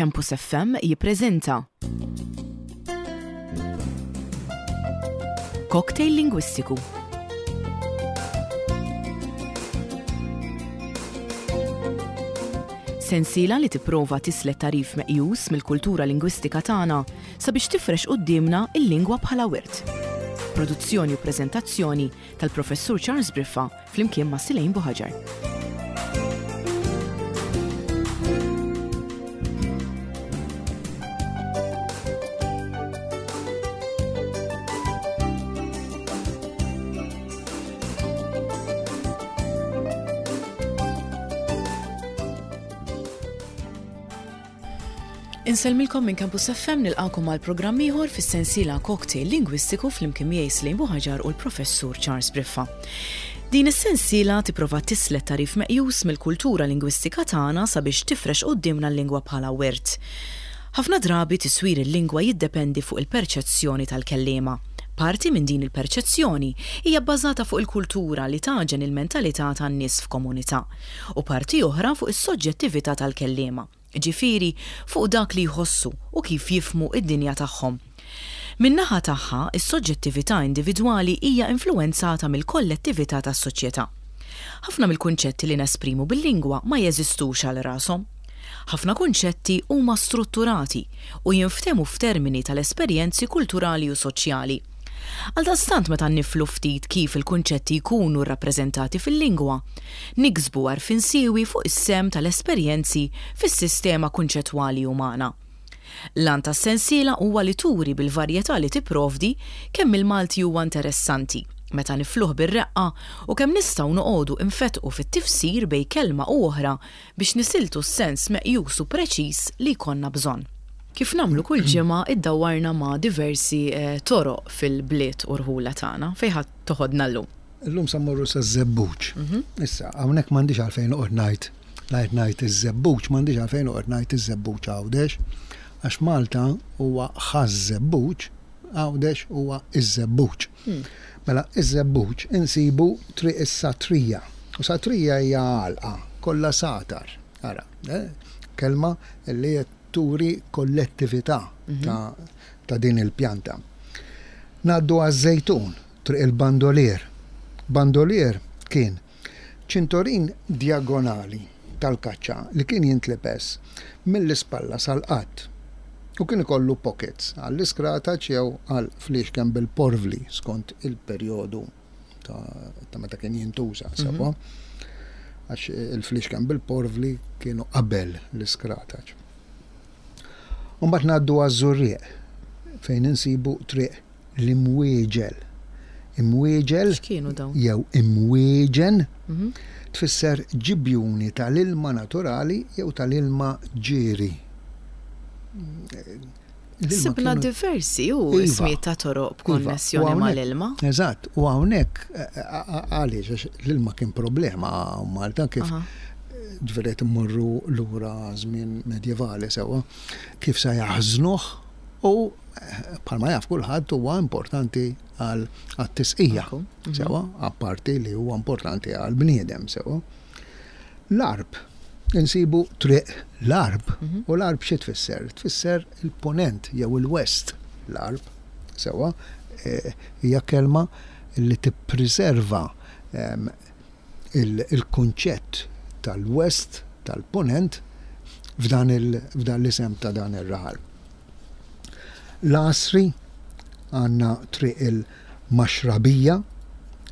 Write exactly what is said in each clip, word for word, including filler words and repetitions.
Campus F M jippreżenta Cocktail Lingwistiku. Sensiela li tipprova tislet tagħrif meqjus mill-kultura lingwistika tagħna sabiex tifrex quddiemna il-lingwa bħala wirt. Produzzjoni u preżentazzjoni tal-Professur Charles Briffa flimkien ma' Silejn Buħaġar. Insellmilkom minn Campus F M, nilqakom għal programm ieħor fis-sensiela Cocktail Lingwistiku flimkien miegħi Slejn Buħaġar u l-Professur Charles Briffa. Din is-sensiela tipprova tislet tagħrif meqjus mill-kultura lingwistika tagħna sabiex tifrex quddiemna l-lingwa bħala wirt. Ħafna drabi tiswir il-lingwa jiddependi fuq il-perċezzjoni tal-kellima. Parti minn din il-perċezzjoni hija bbażata fuq il-kultura li taġen il-mentalità tan-nies f'komunità u parti oħra fuq is-soġġettività tal-kellima, ġifieri fuq dak li jħossu u kif jifhmu id-dinja tagħhom. Min-naħa tagħha, is-soġġettività individwali hija influwenzata mill-kollettività tas-soċjetà. Ħafna mill-kunċetti li nesprimu bil-lingwa ma jeżistux għal rashom. Ħafna kunċetti huma strutturati u jinftehmu f'termini tal-esperjenzi kulturali u soċjali. Għaldaqstant, meta niflu ftit kif il-kunċetti jkunu rrappreżentati fil-lingwa, niksbu għarfien siewi fuq is-sehem tal-esperjenzi fis-sistema kunċettwali umana. L-għan tas-sensiela huwa li turi bil-varjetà li tipprovdi kemm il-Malti huwa interessanti meta nifluh bir-reqqa u kemm nistgħu noqogħdu infetqu fit-tifsir bejn kelma u oħra biex nisiltu s-sens meqjus u preċiż li jkollna bżonn. Kif nagħmlu kull ġimgħa, iddawwarna ma' diversi eh, toroq fil-bliet u rħula tagħna. Fejn ħa toħodna llum? Illum sa mmorru sa Żebbuġ. Issa, hawnhekk m'għandix għalfejn noqgħod ngħid ngħid ngħid iż-Żebbuġ, m'għandix għalfejn noqgħod ngħid iż-Żebbuġ Għawdex, għax Malta huwa Ħaż-Żebbuġ, Għawdex huwa iż-Żebbuġ. Mela, iż-Żebbuġ insibu Triq is-Satrija. U satrija hija għalqa, kollha satar. Ara, eh, kelma li qed turi kollettività ta', ta' din il-pjanta. Ngħaddu għaż-Żejtun, Triq il-Bandolier. Bandolier kien ċintorin diagonali tal-kaċċa li kien jintlibes mill-ispalla sal-qadd. U kien ikollu pockets għall-iskrataċ jew għal fliexken bil-porvli skont il-perjodu ta', ta' meta kien jintuża sewwa. Għax il-fliexken bil-porvli kienu qabel l-iskrataċ. Mbagħad ngħaddu għaż-Żurrieq, fejn insibu Triq l-Imwieġel. Imwieġel X'kienu dawn? jew imwieġen tfisser ġibjuni tal-ilma naturali jew tal-ilma ġieri. L-ilma Sibna kienu- diversi u Iva. ismijiet ta' toroq Iva, b'konnessjoni u hawnhekk- mal-ilma. Eżatt, u hawnhekk eh, eh, għaliex, għax l-ilma kien problema Malta, kif Aha. ġifieri immorru lura żmien medjevali sewwa, kif sa jaħżnuh u eh, bħalma jaf kulħadd huwa importanti għal għat-tisqija. Ekku, mhm. Sewwa, apparti li huwa importanti għal bniedem sewwa. L-Għarb, insibu Triq l-Għarb, Mhm. u l-Għarb xi tfisser? Tfisser il-ponent jew il-west l-Għarb, sewwa, eh, hija kelma li tippreserva em, il- il-kunċett tal-west, tal-ponent, f'dan il- f'dan l-isem ta' dan ir-raħal. L-Għasri għandna Triq il-Maxrabija.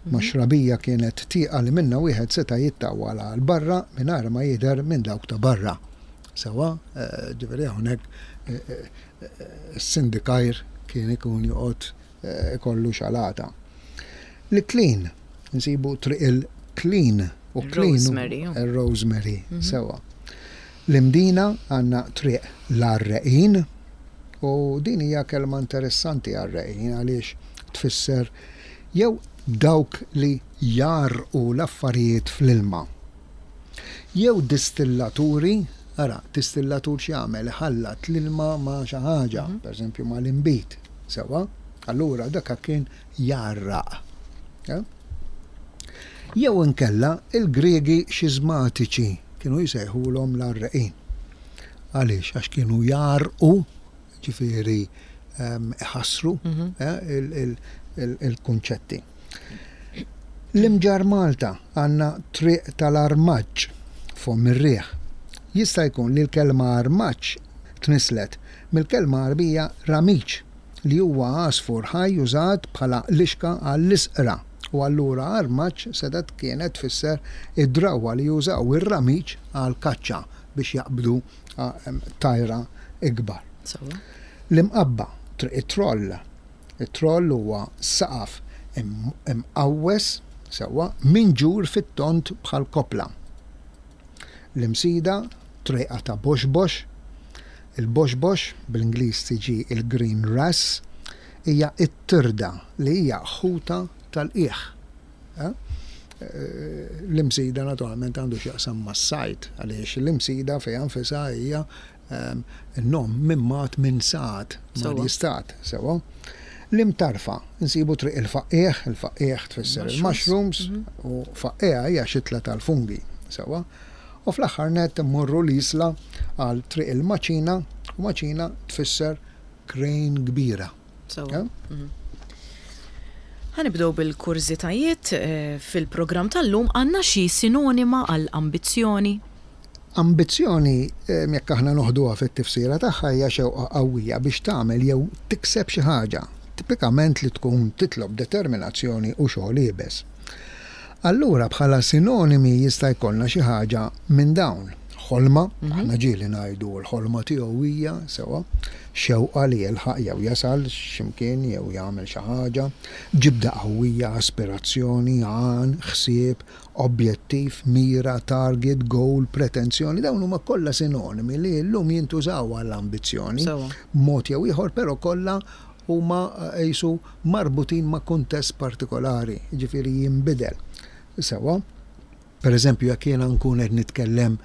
Maxrabija kienet tieqa li minna wieħed seta' jittawwal għal barra mingħajr ma jidher minn dawk ta' barra. Sewwa, eh, ġifieri hawnhekk eh, eh, is-sindikajr kien ikun joqgħod eh, ikollu xalata. L-Iklin, nsibu Triq il-Klin u klin Il-rosemary, oh. il-rosemary, sewwa. L-Imdina għandna Triq l-Għarreqin u din hija kelma interessanti, għarreqin, għaliex tfisser jew dawk li jarqu l-affarijiet fl-ilma. Jew distillaturi, ara, distillatur x'jagħmel? Ħallat l-ilma ma' xi ħaġa, pereżempju ma' l-inbid, sewwa? Allura dak kien jarraq. Ja? Jew inkella il-Gregi xiżmatiċi kienu jsejħulhom l-għarreqin. Għaliex? Għax kienu jarqu, ġifieri iħassru il-kunċetti. L-Imġarr Malta għandna triq tal-armaġġ fomm ir-riħ. Jista' jkun li l-kelma armaġġ tnislet mill-kelma Għarbija ramiċ, li huwa għasfur ħaj użat bħala lixka għall-isqra, u allura armaġġ setgħet kienet tfisser id-drawwa li jużaw ir-ramiċ għal kaċċa biex jaqbdu tajra ikbar. L-Imqabba, triq it-troll. It-troll huwa saqaf imqawwes sewwa minġur fit-tont bħal kopla. L-Imsida, trejqa ta' boxbox. Il-boxbox, bl-Ingliż tiġi il-green wrasse, hija it-tirda li hija ħuta tal-qiegħ. L-Imsida naturalment għandu x'jaqsam mas-sajd, għaliex l-Imsida fejn nfisha hija n-nom mimmat minn sad, ma jistat, sewwa. L-Imtarfa, nsibu triq il-faqqiegħ, il-faqqiegħ tfisser il-mushrooms, u faqqiegħa hija xitla tal-fungi, sewwa. U fl-aħħar nett mmorru l-Isla għal triq il-maċina, u maċina tfisser krejn kbira. Sewwa. Ħa nibdew bil-kurżitajiet fil-programm tal-lum. Għandna xi sinonima għal ambizzjoni? Ambizzjoni, jekk aħna noħduha fit-tifsira tagħha, hija xewqa qawwija biex tagħmel jew tikseb xi ħaġa, tipikament li tkun titlob determinazzjoni u xogħol iebes. Allura bħala sinonimi jista' jkollna xi ħaġa minn dawn. Ħolma, aħna ġieli ngħidu l-ħolma tiegħu hija sewwa, xewqa li jilħaq jew jasal x'imkien jew jagħmel xi ħaġa, ġibda qawwija, aspirazzjoni, għan, ħsieb, objettiv, mira, target, goal, pretenzjoni, dawn huma kollha sinonimi li llum jintużaw għall-ambizzjoni. Mod jew ieħor, però kollha huma qisu marbutin ma' kuntest partikolari, ġifieri jinbidel. Sewwa, per eżempju, jekk jiena nkun qed nitkellem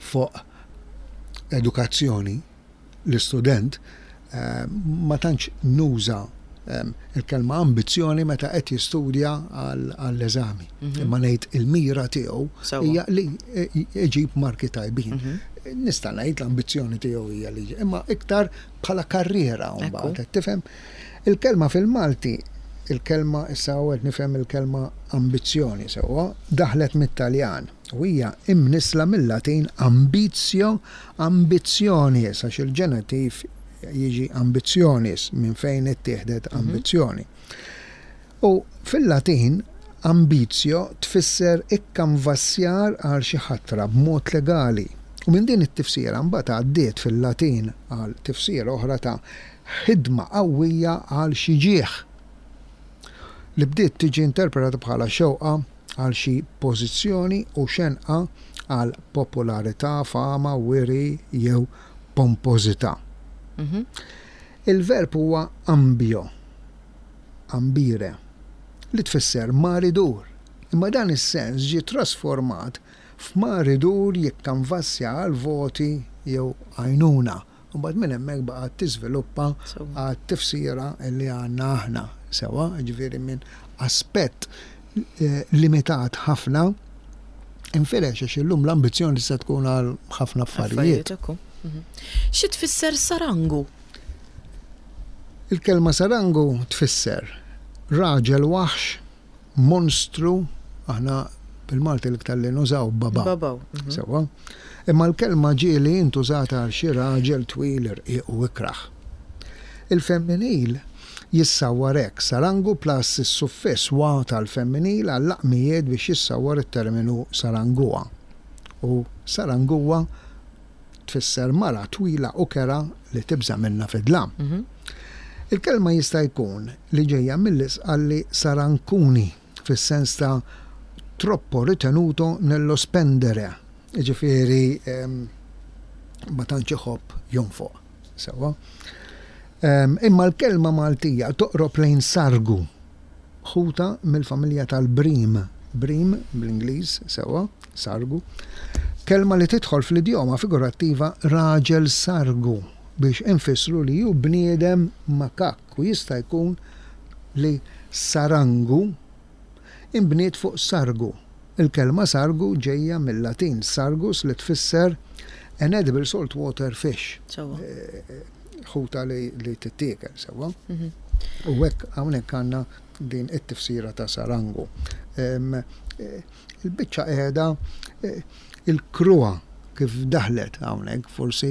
fuq edukazzjoni, l-istudent, ma tantx nuża il-kelma ambizzjoni meta qed jistudja għall-eżami. Imma ngħid il-mira tiegħu hija li iġib marki tajbin. Nista' ngħid l-ambizzjoni tiegħu hija li imma iktar bħala karriera mbagħad, tifhem? Il-kelma fil-Malti, il-kelma issa qed nifhem il-kelma ambizzjoni sewwa, daħlet mit-Taljan u hija imnisla mill-Latin ambitio, ambitionis, għax il-ġenitiv jiġi ambitionis, minn fejn ittieħdet ambizzjoni. U fil-Latin ambitio tfisser ikkanvassjar għal xi ħatra b'mod legali. U minn din it-tifsira mbagħad għaddiet fil-Latin għal tifsira oħra ta' ħidma qawwija għal xi ġieħ, li bdiet tiġi interpretata bħala xewqa għal xi pożizzjoni u xenqa għal popolarità, fama, wiri jew pompożità. Il-verb huwa ambio, ambire, li tfisser mar idur. Imma dan is-sens ġie trasformat f'mar idur jikkanvassja għal voti jew għajnuna. U mbagħad minn hemmhekk baqgħet tiżviluppa għat-tifsira li għandna aħna. Sewwa, ġifieri minn aspett limitat ħafna infirex, għax illum l-ambizzjoni tista' tkun għal ħafna affarijiet. Xi tfisser sarangu? Il-kelma sarangu tfisser raġel waħx, monstru, aħna bil-Malti l-iktar li nużaw babaw. Babaw. Sewwa. Imma l-kelma ġieli intużata għal xi raġel twil, irqiq u ikraħ. Il-femminil jissawwar hekk, sarangu plus is-suffiss wa tal-femminil għall-laqmijiet biex jissawwar it-terminu sarangua. U sarangua tfisser mara twila u kera li tibża' minna fid-dlam. Il-kelma jista' jkun li ġejja mill-Isqalli sarancuni, fis-sens ta' troppo ritenuto nello spendere, ġifieri ma tantx iħobb jonfoq. Sewwa. Imma l-kelma Maltija toqrob lejn sargu, ħuta mill-familja tal-brim, brim bl-Ingliż, sewwa, sargu. Kelma li tidħol fl-idjoma figurattiva raġel sargu biex infissru li hu bniedem makak, u jista' jkun li sarangu inbniet fuq sargu. Il-kelma sargu ġejja mill-Latin sargus li tfisser An edible saltwater fish. Sewwa. Ħuta li, li tittiekel, sewwa. Mhm. U hekk hawnhekk għandna din it-tifsira ta' sarangu. Em, eh, Il-biċċa qiegħda eh, il-kruha kif daħlet hawnhekk, forsi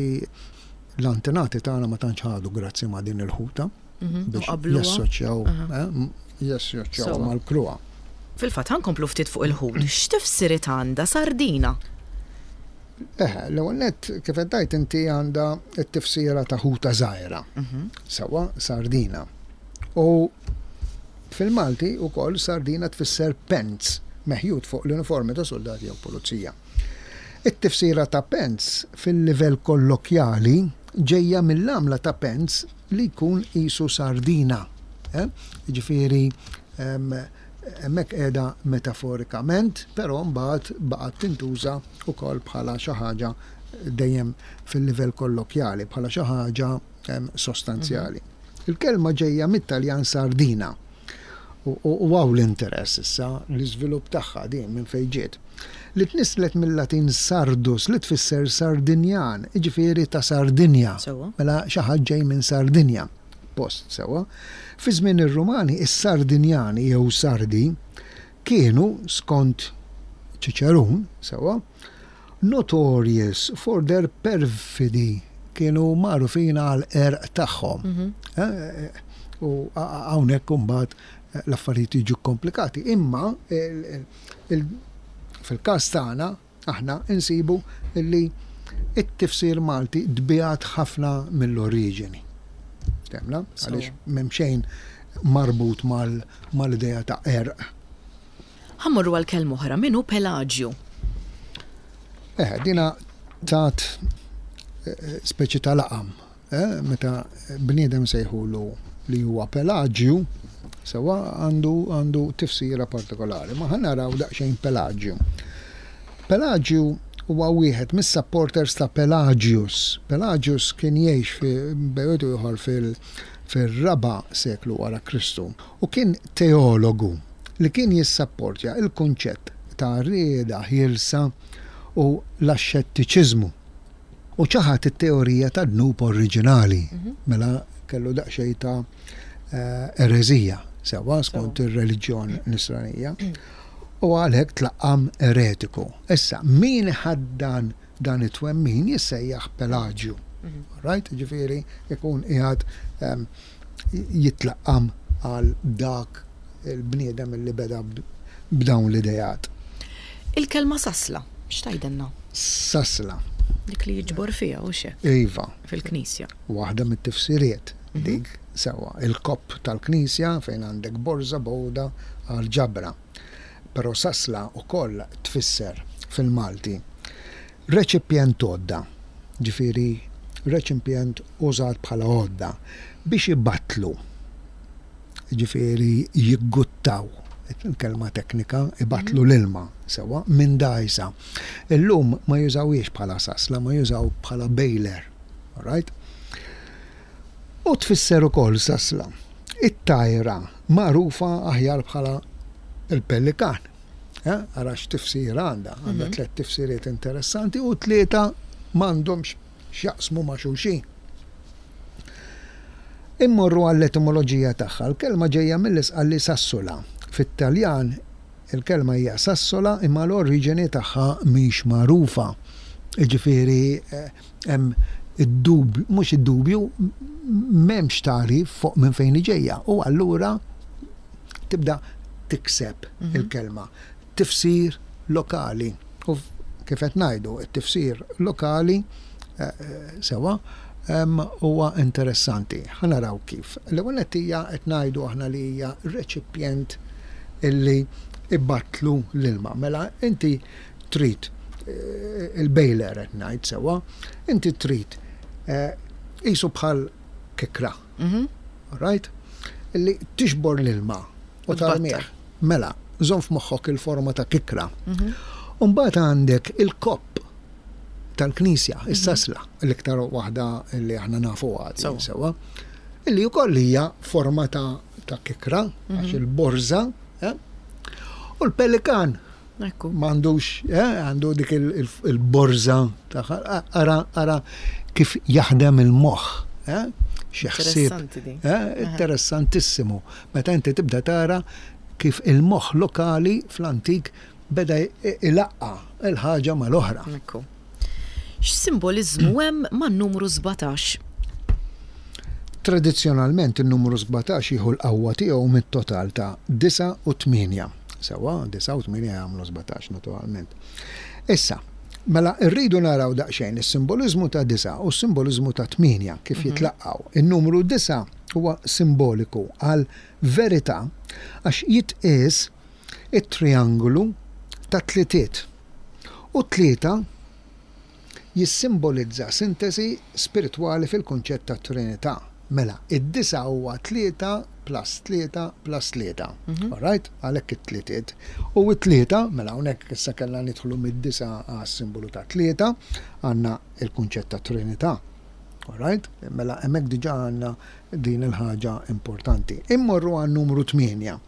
l-antenati tagħna ma tantx ħadu grazzi ma' din il-ħuta Mhm. U biex qabluha. jassoċjaw Aha. eh, m- jassoċjaw Sewwa. mal-kruha. Fil-fatt ħa nkomplu ftit fuq il-ħut. X'tifsiriet għandha sardina? Eh, l-ewwel nett kif qed tgħid inti għandha t-tifsira ta' ħuta żgħira. Mhm. Sewwa sardina. U fil-Malti ukoll sardina tfisser pants meħjut fuq l-uniformi ta' soldati jew pulizija. It-tifsira ta' pants fil-livell kollokjali ġejja mill-għamla ta' pants li jkun qisu sardina. Eh? Ġifieri em, hemmhekk qiegħda metaforikament, però mbagħad baqgħet tintuża wkoll bħala xi ħaġa dejjem fil-livell kollokjali, bħala xi ħaġa em, sostanzjali. Il-kelma ġejja mit-Taljan sardina. U u hawn l-interess issa, l-iżvilupp tagħha din minn fejn ġiet. Li tnislet mill-Latin sardus li tfisser Sardinjan, jiġifieri ta' Sardinja. Sewwa. Mela xi ħadd ġej minn Sardinja. Post sewwa. Fi żmien ir-Rumani is-Sardinjani jew Sardi kienu skont Ċiċerun sewwa notorious for their perfidy, kienu magħrufin għal qerq tagħhom. Mhm. Eh, U a- hawnhekk imbagħad eh, l-affarijiet jiġu komplikati. Imma il- il- fil-każ tagħna aħna insibu li it-tifsir Malti tbiegħed ħafna mill-oriġini. Temna? Sewwa. Għaliex m'hemm xejn marbut mal- mal-idea ta' qerq. Ħa mmorru għal kelma oħra, min hu Pelagju? Eh, dina tat eh, speċi ta' laqam. Eh, meta bniedem sejħulu li huwa Pelagju, sewwa għandu għandu tifsira partikolari. Ma ħa naraw daqsxejn Pelagju. Pelagju huwa wieħed mis-supporters ta' Pelagius. Pelagius kien jgħix fi bejn ieħor fil fir-raba' seklu wara Kristu u kien teologu li kien jissapportja il-kunċett ta' rieda ħielsa u l-axxettiċiżmu. U ċaħat it-teorija ta' dnub oriġinali, mela kellu daqsxejn ta' eh, ereżija, sewwa skont ir-reliġjon nisranija. U għalhekk tlaqqam eretiku. Issa, min ħaddan dan it-twemmin jissejjaħ Pelagju. Right? Ġifieri, ikun qiegħed em, jitlaqqam għal dak il-bniedem li beda b- b'dawn l-idejat. Il-kelma sasla, x'tgħidilna? Sasla, Dik li jiġbor fiha u xe iva, fil-knisja. waħda mit-tifsiriet dik sewwa il-kopp tal-knisja fejn għandek borża bowda għal ġabra. Però sasla ukoll tfisser fil-Malti reċipjent għodda, ġifieri reċipjent użat bħala għodda biex ibattlu, ġifieri jigguttaw, il-kelma teknika, ibattlu l-ilma sewwa minn dgħajsa. Illum ma jużawhiex bħala sasla, ma jużaw bħala bailer, alright? U tfisser ukoll sasla. It-tajra magħrufa aħjar bħala il-pellikan. Eh, Ara x'tifsir għandha, għandha tliet tifsiriet interessanti u tlieta m'għandhomx x'jaqsmu ma' xulxin. Immorru għall-etimoloġija tagħha, l-kelma ġejja mill-Isqalli sassula. Fit-Taljan il-kelma hija sassola imma l-oriġini tagħha mhix magħrufa. Jiġifieri eh, hemm id-dubju, mhux id-dubju, m'hemmx tagħrif fuq minn fejn ġejja. U allura tibda tikseb il-kelma. Tifsir lokali. U f- kif qed ngħidu, it-tifsir lokali eh, eh, sewwa em, huwa interessanti. Ħa naraw kif. L-ewwel nett hija qed ngħidu aħna li hija reċipjent illi ibattlu l-ilma. Mela inti trid eh, il-bailer qed ngħid sewwa, inti trid eh, qisu bħal kikra, Mhm. right? Illi tixbor l-ilma u U tarmih. tbattal. Mela, żomm f'moħħok il-forma ta' kikra. Mhm. Umbagħad għandek il-kopp tal-knisja, is-sasla, l-iktar waħda li aħna nafu għad, Sewwa. sewwa, illi wkoll hija forma ta' ta' kikra, għax il-borża, eh? U l-pelikan Ekku. M'għandux, eh, għandu dik il-borża, ara, ara kif jaħdem il-moħħ. Eh? Xi ħsieb. Eh, interessantissimu. Meta inti tibda tara kif il-moħħ lokali fl-antik beda ilaqqa il-ħaġa mal-oħra. Ekku. X'simboliżmu hemm man-numru sbatax? Tradizzjonalment in-numru sbatax jieħu l-qawwa tiegħu mit-total ta' disgħa u tmienja. Sewwa, disgħa u tmienja jagħmlu sbatax naturalment. Issa, mela rridu naraw daqsxejn is-simboliżmu ta' disgħa u s-simboliżmu ta' tmienja kif mhm. jitlaqgħu. In-numru disgħa huwa simboliku għal verità għax jitqies it-triangolu ta' tlitiet. U tlieta jissimbolizza sintesi spiritwali fil-kunċett ta' Trinità. Mela, id-disgħa huwa tlieta plus tlieta plus tlieta. Mhm. All right? Għalhekk it-tlietiet. U it-tlieta, mela hawnhekk issa kellna nidħlu mid-disgħa għas-simbolu ta' tlieta, għandna il-kunċett ta' Trinità. All right? Mela hemmhekk diġà għandna din il-ħaġa importanti. Immorru għan numru tmienja.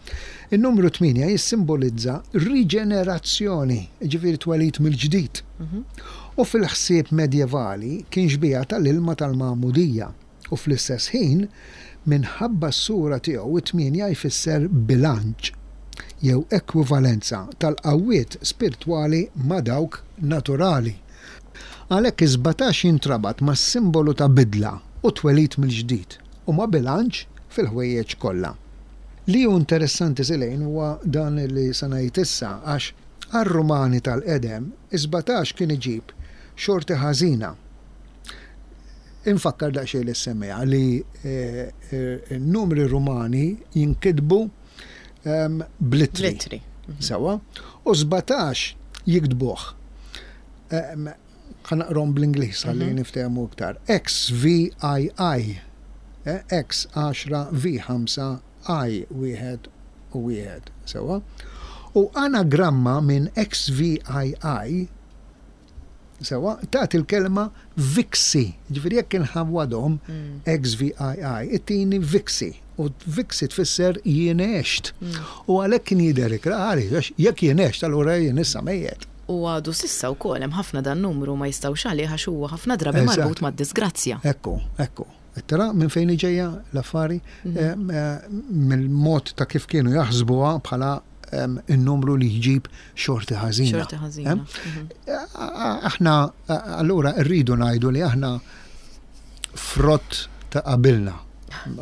Il-numru tmienja jissimbolizza riġenerazzjoni, ġifieri twelid mill-ġdid. Mhm. U fil-ħsieb medjevali kien xbieha tal-ilma tal-magħmudija. U fl-istess ħin, minħabba s-sura tiegħu, it-tmienja jfisser bilanċ jew ekwivalenza tal-qawwiet spiritwali ma' dawk naturali. Għalhekk is-sbatax jintrabat ma' simbolu ta' bidla u twelid mill-ġdid u ma' bilanċ fil-ħwejjeġ kollha. Li hu interessanti, Silejn, huwa dan li se ngħid issa, għax għar-Rumani tal-qedem is-sbatax kien iġib xorti ħażina. Infakkar daqsxejn li semmejha li eh, eh, n-numri Rumani jinkitbu ehm, bl-ittri. Bl-ittri. Sewwa? U sbatax jiktbuh. Ehm, ħa naqrahom bl-Ingliż ħalli niftehmu iktar. X V I I. Eh, X għaxra, V ħamsa, I wieħed u wieħed. Sewwa? U anagramma minn X V I I, sewwa, tagħti il-kelma Vixi. Ġifieri jekk inħawwadhom X V I I, ittini Vixi. U Vixi tfisser jien għext. U għalhekk kien jidher ikrah, għax jekk jien għext, allura jien issa mejjet. U għadu s'issa wkoll hemm ħafna dan numru ma jistgħux għalih għax huwa ħafna drabi Eżatt. marbut mad-disgrazzja. Ekku, ekku. Tara minn fejn ġejja l-affari, Em, eh, mill-mod ta' kif kienu jaħsbuha bħala em, il-numru li jġib xorti ħażina. Xorti ħażina. Em? Aħna allura rridu ngħidu li aħna frott ta' qabilna.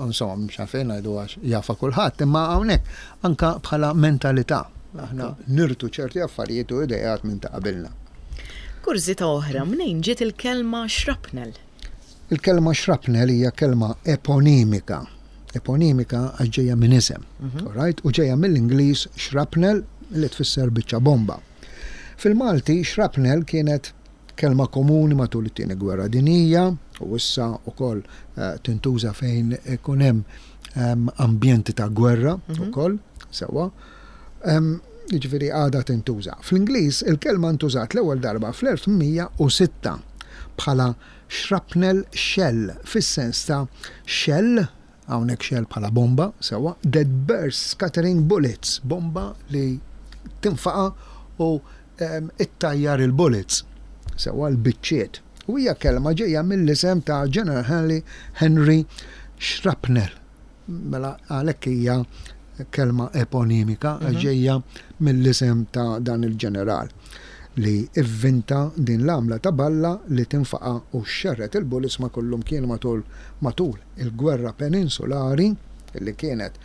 Insomma, mhux għalfejn ngħidu għax jafha kulħadd, imma hawnhekk anka bħala mentalità. Aħna nirtu ċerti affarijiet u idejat minn ta' qabilna. Kurżità oħra, mnejn ġiet il-kelma shrapnel? Il-kelma shrapnel hija kelma eponimika. Eponimika għax ġejja minn isem. Alright? U ġejja mill-Ingliż shrapnel, li tfisser biċċa bomba. Fil-Malti shrapnel kienet kelma komuni matul it-Tieni Gwerra Dinjija u issa wkoll eh, tintuża fejn ikun hemm em, ambjenti ta' gwerra ukoll, sewwa. Em, Jiġifieri għadha tintuża. Fl-Ingliż il-kelma ntużat l-ewwel darba fl-elf tmien mija u sitta bħala shrapnel shell, fis-sens ta' shell, hawnhekk shell bħala bomba, sewwa, that bursts scattering bullets, bomba li tinfaqa u um, ittajjar il-bullets, sewwa, l-biċċiet. U hija kelma ġejja mill-isem ta' General Henry, Henry Shrapnel. Mela għalhekk hija kelma eponimika, ġejja mill-isem ta' dan il-ġeneral li ivvinta din l-għamla ta' balla li tinfaqa u xerret il-bullets ma' kullum kien matul matul il-gwerra peninsulari li kienet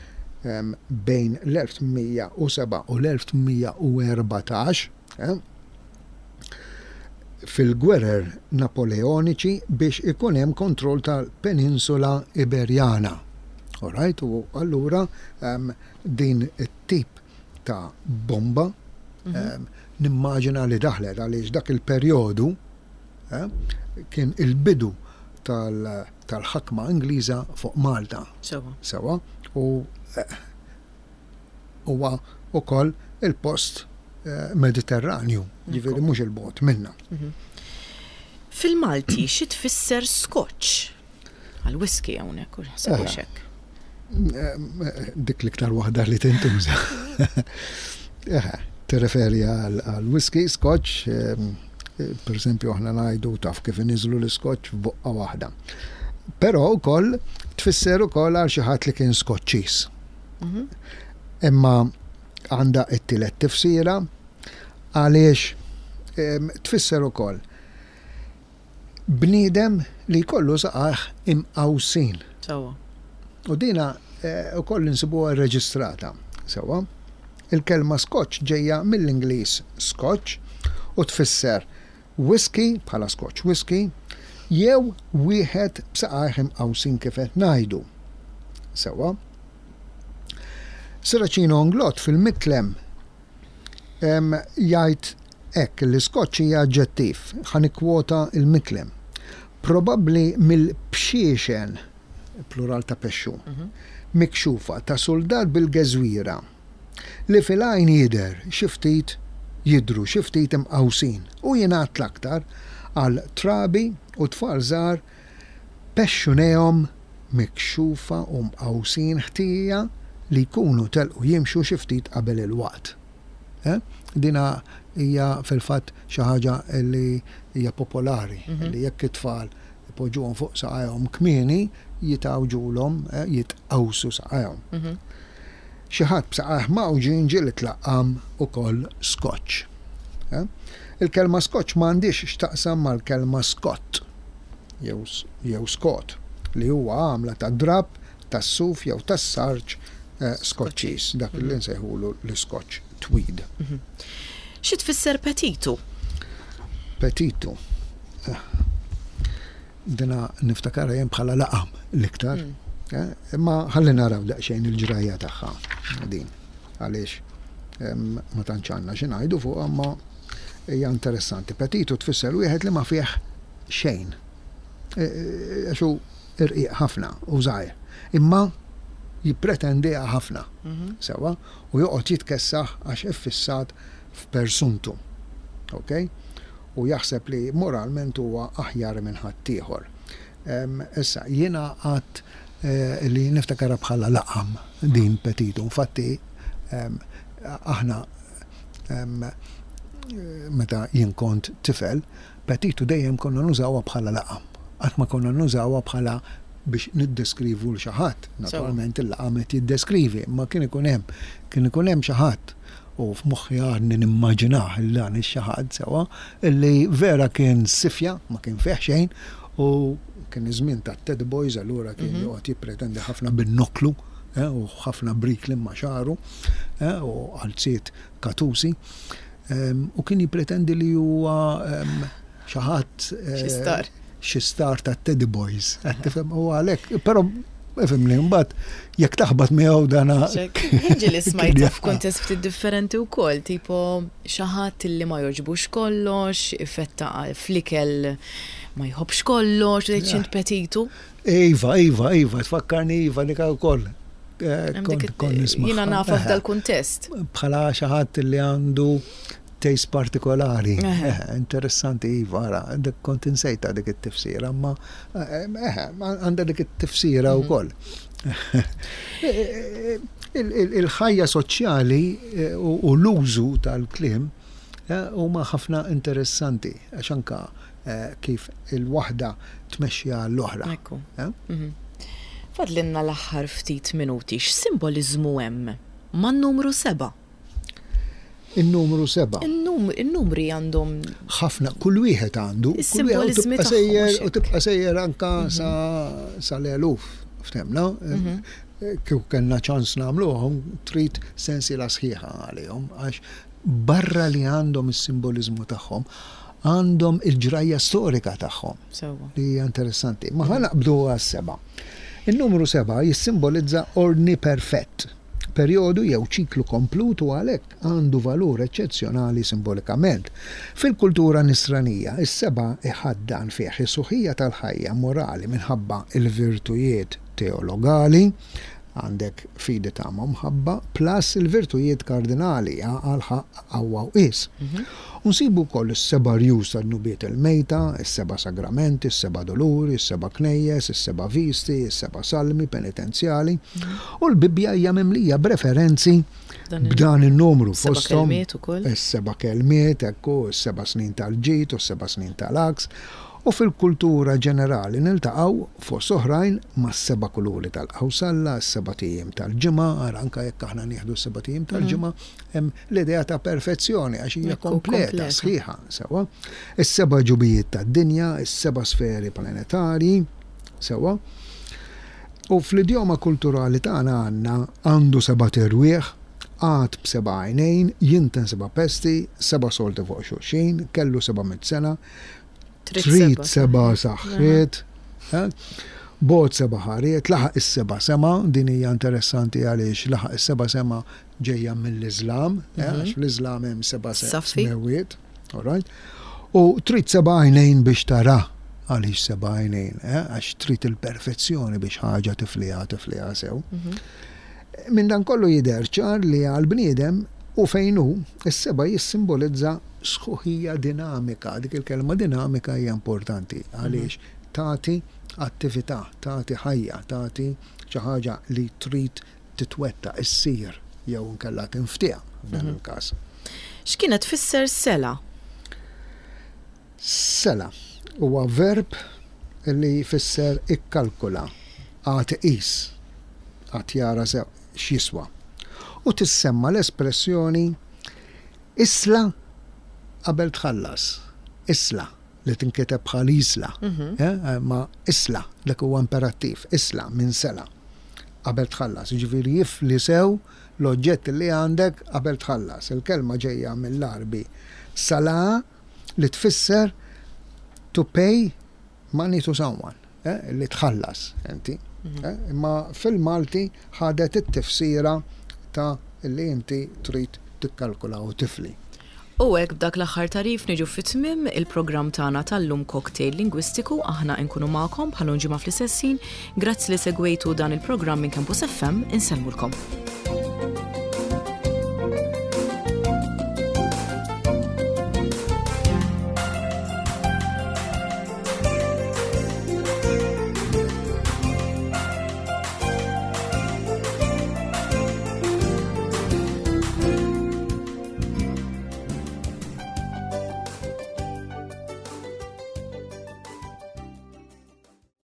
em, bejn l-elf tmien mija u sebgħa u l-elf tmien mija u erbatax, eh, fil-gwerer Napoleoniċi biex ikun hemm kontroll tal-Peninsula Iberjana. Alright, u allura um, din it-tip ta' bomba um, nimmaġina li daħlet għaliex dak il-perjodu eh, kien il-bidu tal- tal-ħakma Ingliża fuq Malta. Sewwa. Sewwa, u eh, huwa ukoll il-post eh, Mediterranju, ġifieri mhux il-bogħod minna. Fil-Malti xi tfisser scotch? Għal-whisky hawnhekk, u ħseb Eh. hekk. Eh, Dik l-iktar waħda li tintuża. Eh, Tirreferi għal whisky, scotch, per esempio aħna ngħidu taf kif iniżlu l-scotch f'buqqa waħda. Però wkoll tfisser ukoll għal xi ħadd li kien Skoċċiż. Mhm. Imma għandha t-tielet tifsira għaliex tfisser ukoll bniedem li jkollu saqajh imqawsin. Sewwa. U dina ukoll insibuha rreġistrata. Sewwa. Il-kelma scotch ġejja mill-Ingliż scotch u tfisser whisky bħala scotch whisky jew wieħed b'saqajh imqawsin kif qed ngħidu. Sewwa. Serracino Inglott fil-Miklem jgħid hekk li scotch hija aġġettiv, ħa nikkwota il-Miklem. Probabbli mill-bxiexen, plural ta' pexxu, mikxufa ta' soldat bil-geżwira li fil-għajn jidher xi ftit jidhru xi ftit imqawsin u jingħad l-aktar għal trabi u tfal żgħar pexxunejhom mikxufa u mqawsin ħtija li jkunu telqu jimxu xi ftit qabel il-waqt. Eh? Dina hija fil-fatt xi ħaġa li hija popolari, li jekk it-tfal ipoġġuhom fuq saqajhom kmieni jitgħawġulhom, eh, jitqawsu saqajhom. Mhm. Xi ħadd b'saqajh mgħawġin ġieli tlaqqam ukoll scotch. Eh? Il-kelma scotch m'għandix x'taqsam mal-kelma Scott jew jew Scott li huwa għamla ta' drapp, tas-suf jew tas-sarġ eh, Skoċċiż, dak li nsejħulu l-Scotch tweed. Xi tfisser petitu? Petitu. Eh, Dina niftakara jien bħala laqam l-iktar. Eh, Imma ħalli naraw daqsxejn il-ġrajja tagħha din. Għaliex em, ma tantx għandna xi ngħidu fuq imma hija interessanti. Petitu tfisser wieħed li ma fih xejn. E, e, Għax hu irqiq ħafna u żgħir. Imma jippretendiha ħafna. Sewwa, u joqgħod jitkessaħ għax iffissat f'persuntu. Ok? U jaħseb li moralment huwa aħjar minn ħaddieħor. Em, Issa, jiena għat eh, li niftakara bħala laqam din petitu. Infatti, em, aħna em, meta jien kont tifel, petitu dejjem konna nużawha bħala laqam. Qatt ma konna nużawha bħala biex niddeskrivu l xi ħadd. Naturalment il-laqam qed jiddeskrivi, ma kien ikun hemm kien ikun hemm xi ħadd u f'moħħi għadni nimmaġinah il dan ix-xi ħadd sewwa illi vera kien sifja, ma kien fih xejn u kien iż-żmien ta' Ted Boys allura kien joqgħod jippretendi ħafna bin-noklu eh, u ħafna brikli ma' xagħru eh, u qalziet katusi. Em, U kien jippretendi li huwa em, xi ħadd eh, Xi star. xi star ta' Teddy Boys. Qed tifhem u għalhekk, però ifhimni mbagħad jekk taħbat miegħu dana Ġieli li smajta f'kuntest ftit differenti wkoll, tipo xi ħadd li ma jogħġbux kollox, ifetta fl-ikel ma jħobbx kollox, tgħid x'int petitu. Iva, Iva, Iva, tfakkarni Iva dik ukoll. Eh, Hemm Kont dik kont nisma' Jiena nafa f'dal kuntest. Bħala xi ħadd li għandu taste partikolari. Eħe. Eh, interessanti, Iva, ara, dik kont insejta dik it-tifsira, ma eh, eh, għandha dik it-tifsira wkoll. Il- il- Il-ħajja soċjali eh, u u l-użu tal-kliem eh, huma ħafna interessanti, għax anka eh, kif il-waħda tmexxi għall-oħra. Ekku. Eh? Mhm. Fadlinna l-aħħar ftit minuti, x'simboliżmu hemm man-numru seba'? Il-numru seba'. In-num- In-numri għandhom ħafna, kull wieħed għandu, kull wieħed u Is-simboliżmi tibqa' tagħhom, sejjer mhux u hekk. tibqa' sejjer anka sa sal-eluf, ftemna? Kieku kellna ċans nagħmluhom, trid sensiela sħiħa għalihom, għax barra li għandhom is-simboliżmu tagħhom, għandhom il-ġrajja storika tagħhom sewwa. li hija interessanti. Ma ħa naqbdu għas-seba'. Il-numru seba' jissimbolizza ordni perfett, perjodu jew ċiklu komplut u għalhekk għandu valur eċċezzjonali simbolikament. Fil-kultura nisranija, is-seba' iħaddan fih is-suħija tal-ħajja morali minħabba il-virtujiet teologali, Għandek fidi, tama, mħabba, plus il-virtujiet kardinali, għaqal, ħaqq, qawwa u qies. Unsibu wkoll is-seba' rjus tad-dnubiet il-mejta, is-seba' sagramenti, is-seba' doluri, is-seba' knejjes, is-seba' visti, is-seba' salmi penitenzjali. U l-Bibbja hija mimlija b'referenzi b'dan il-numru. Seba' kelmiet ukoll. Is-seba' kelmiet, ekku, is-seba' snin tal-ġid u s-seba' snin tal-għaks. U fil-kultura ġenerali niltaqgħu fost oħrajn mas-seba' kuluri tal-qawsalla, s-sebat ijiem tal-ġimgħa, ara anke jekk aħna nieħdu s-sebat ijiem tal-ġimgħa, hemm l-idea ta' perfezzjoni għax hija kompleta, sħiħa, sewwa. Is-seba' ġubijiet tad-dinja, is-seba' sferi planetarji, sewwa. U fl-idjoma kulturali tagħna għandna għandu sebat irwieħ, għad b'seba' għajnejn, jinten seba' pesti, seba' solti fuq xulxin, kellu seba' mitt sena, trid seba' saħħiet, bogħod seba' ħariet, laħaq is-seba' sema, din hija interessanti għaliex laħaq is-seba' sema ġejja mill-Iżlam, għax fl-Iżlam hemm seba' smewwiet, all right? U trid seba' għajnejn biex tara. Għaliex seba' għajnejn? Għax trid il-perfezzjoni biex ħaġa tifliha tifliha sew. Minn dan kollu jidher ċar li għal-bniedem u fejn hu, is-seba' jissimbolizza sħuħija dinamika. Dik il-kelma dinamika hija importanti għaliex tagħti attività, tagħti ħajja, tagħti xi ħaġa li trid titwettaq, issir jew inkella tinftiehem f'dan il-każ. X'kienet tfisser sela? Sela huwa verb li jfisser ikkalkula, għad qis, għad jara sew x'jiswa. U tissemma l-espressjoni isla qabel tħallas. Isla li tinkiteb bħal isla. Eh, ma isla, dak huwa imperattiv, isla minn sela qabel tħallas. Ġifieri jifli sew l-oġġett li għandek qabel tħallas. Il-kelma ġejja mill-Arbi sala li tfisser to pay money to someone, eh, li tħallas inti. Eh, imma fil-Malti ħadet it-tifsira ta' li inti trid tikkalkula u tifli. U hekk b'dak l-aħħar tagħrif niġu fit-tmiem il-programm tagħna tal-lum, Cocktail Lingwistiku. Aħna nkunu magħkom bħal ġimgħa fl-istess ħin. Grazzi li segwejtu dan il-programm minn Campus F M, insellmulkom.